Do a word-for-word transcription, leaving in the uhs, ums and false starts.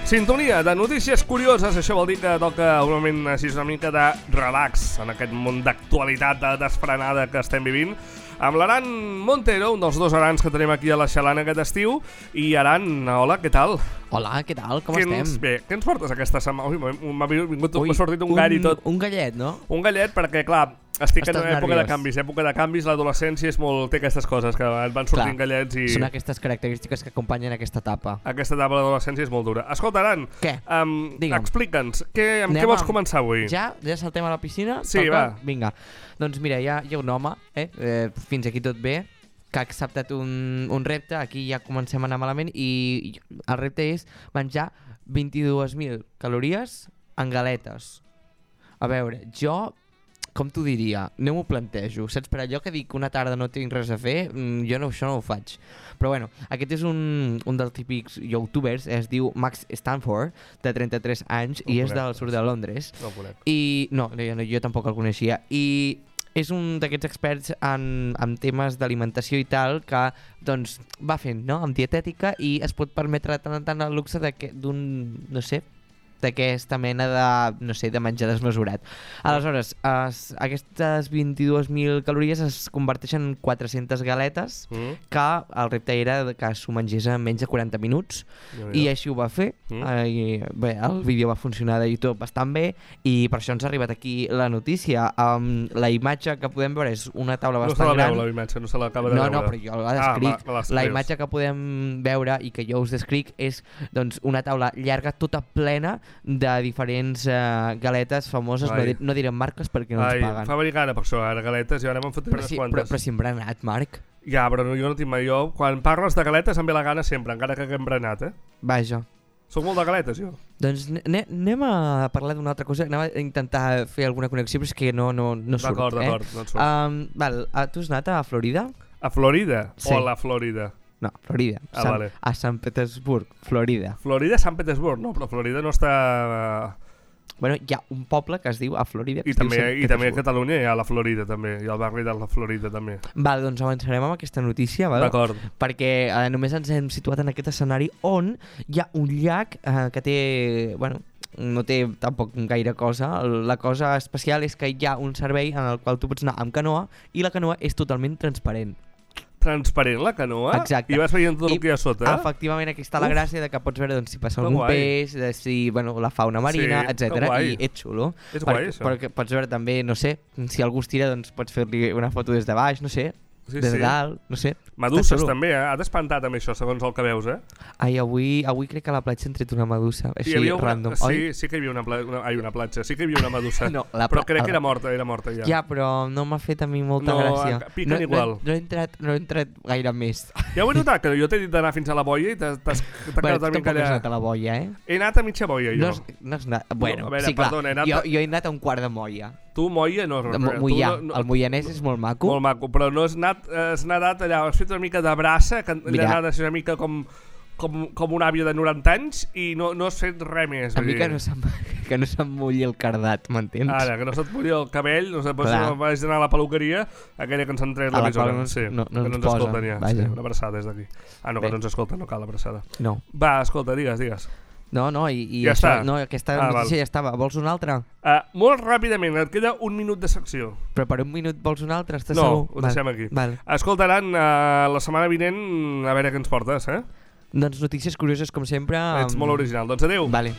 Sintonia de notícies curioses, això vol dir que toca un moment així una mica de relax en aquest món d'actualitat de desfrenada que estem vivint amb l'Aran Montero, un dels dos Arans que tenim aquí a la Xalana aquest estiu. I Aran, hola, què tal? Hola, què tal? Com què estem? Ens, bé, què ens portes aquesta setmana? Ui, m'ha vingut, m'ha sortit un, un gall i tot. Un gallet, no? Un gallet perquè, clar, estic Estàs en una època nerviós. de canvis. Època de canvis, l'adolescència és molt... té aquestes coses, que et van sortint Clar, gallets i... Són aquestes característiques que acompanyen aquesta etapa. Aquesta etapa de l'adolescència és molt dura. Escolta, Aran, Què? Um, Digue'm. explica'ns, què, amb Anem què vols amb- començar avui? Ja? Ja saltem a la piscina? Sí, Toca? va. Vinga. Doncs mira, hi ha, hi ha un home, eh? eh? Fins aquí tot bé, que ha acceptat un, un repte. Aquí ja comencem a anar malament i i el repte és menjar vint-i-dues mil calories en galetes. A veure, jo... Com t'ho diria? No m'ho plantejo. Saps, per allò que dic una tarda no tinc res a fer, mm, jo no, això no ho faig. Però bueno, aquest és un, un dels típics youtubers, es diu Max Stanford, de trenta-tres anys, No i és conec, del sud de Londres. No ho conec. I no, jo, jo tampoc el coneixia. I és un d'aquests experts en, en temes d'alimentació i tal que doncs, va fent, no?, amb dietètica, i es pot permetre tant en tant el luxe de que- d'un, no sé, d'aquesta mena de, no sé, de menjar desmesurat. Aleshores, es, aquestes vint-i-dues mil calories es converteixen en quatre-centes galetes, Mm? que el repte era de que s'ho mengés en menys de quaranta minuts, i així ho va fer. Mm. Eh, i, bé, el vídeo va funcionar de YouTube bastant bé, i per això ens ha arribat aquí la notícia. Um, la imatge que podem veure és una taula No se bastant la gran. veu, la imatge, no se l'acaba de No, veure. no, però jo la descric. Ah, va, la la descrius. imatge que podem veure i que jo us descric és doncs, una taula llarga, tota plena de diferents uh, galetes famoses. No, Ai. di no direm marques perquè no Ai, ens paguen. fa venir gana per això, ara galetes, i ara m'han fotut Però unes si, però, quantes. però si hem berenat, Marc. Ja, però no, jo no tinc mai. Jo, quan parles de galetes em ve la gana sempre, encara que haguem berenat, eh? Vaja. Soc molt de galetes, jo. Doncs ane- anem a parlar d'una altra cosa. Anem a intentar fer alguna connexió, però és que no, no, no surt. D'acord, eh? d'acord, no et surt. Um, val, uh, tu has anat a Florida? A Florida? Sí. O a la Florida? No, Florida. Ah, Sant- vale. A Sant Petersburg, Florida. Florida, Sant Petersburg, no, però Florida no està... Bueno, hi ha un poble que es diu a Florida. Que I es diu també, Sant i també a Petersburg. Catalunya hi ha la Florida, també. Hi ha el barri de la Florida, també. Val, doncs avançarem amb aquesta notícia, val? D'acord. Perquè eh, només ens hem situat en aquest escenari on hi ha un llac eh, que té... Bueno, no té tampoc gaire cosa. La cosa especial és que hi ha un servei en el qual tu pots anar amb canoa i la canoa és totalment transparent. Transparent, la canoa? Exacte. I vas veient tot I, el que hi ha sota? Efectivament, aquí està la Uf. gràcia de que pots veure doncs, si passa Que algun guai. peix, de si, bueno, la fauna marina, Sí, que etcètera. guai. I és xulo. És guai, això. Perquè pots veure també, no sé, si algú es tira, doncs pots fer-li una foto des de baix, no sé, Sí, des sí. de dalt, no sé. Meduses Està xulo. també, eh? Ha d'espantar també això, segons el que veus, eh? Ai, avui, avui crec que a la platja han tret una medusa, així, Hi havia una... random. Sí, Oi? sí que hi havia una, pla... una... Ai, una platja, sí que hi havia una medusa. No, la però pla- crec la- que era morta, era morta ja. Ja, però no m'ha fet a mi molta No, gràcia. piquen no, igual. No, no, he entrat, no he entrat gaire més. Ja ho he notat, que jo t'he dit d'anar fins a la boia i t'has t'has- t'ha Bueno, quedat tu una mica tampoc has allà... anat a la boia, eh? He anat a mitja boia, jo. No has, no has anat... Bueno, a veure, sí, clar, perdona, he anat jo, a- jo he anat a un quart de moia. Tu, moia, no... De tu Mo- Moià. no, no, El moianès és molt maco. Molt maco, però no has anat, has nadat allà, has fet una mica de braça, que allà Mira. anades una mica com, com, com una àvia de noranta anys i no, no has fet res més. A vull mi que dir. no se'm, que no se'm mulli el cardat, m'entens? Ara, que no se't mulli el cabell, no sé, pues, Clar. no vaig anar a la peluqueria, aquella que ens han tret A la l'emissora. qual no ens- sí, no- no que ens no ens posen, escolten ja. vaja. Sí, una abraçada des d'aquí. Ah, no, Bé. que no ens escolten, no cal abraçada. No, Va, escolta, digues, digues. no, no, i, i Ja això, està. no, aquesta Ah, notícia val. ja estava. Vols una altra? Uh, molt ràpidament, et queda un minut de secció. Però per un minut vols una altra? Estàs No, segur? ho deixem aquí. Val. Escoltaran uh, la setmana vinent a veure què ens portes, eh? Doncs notícies curioses, com sempre. Ets amb- molt original. Doncs adeu. Vale.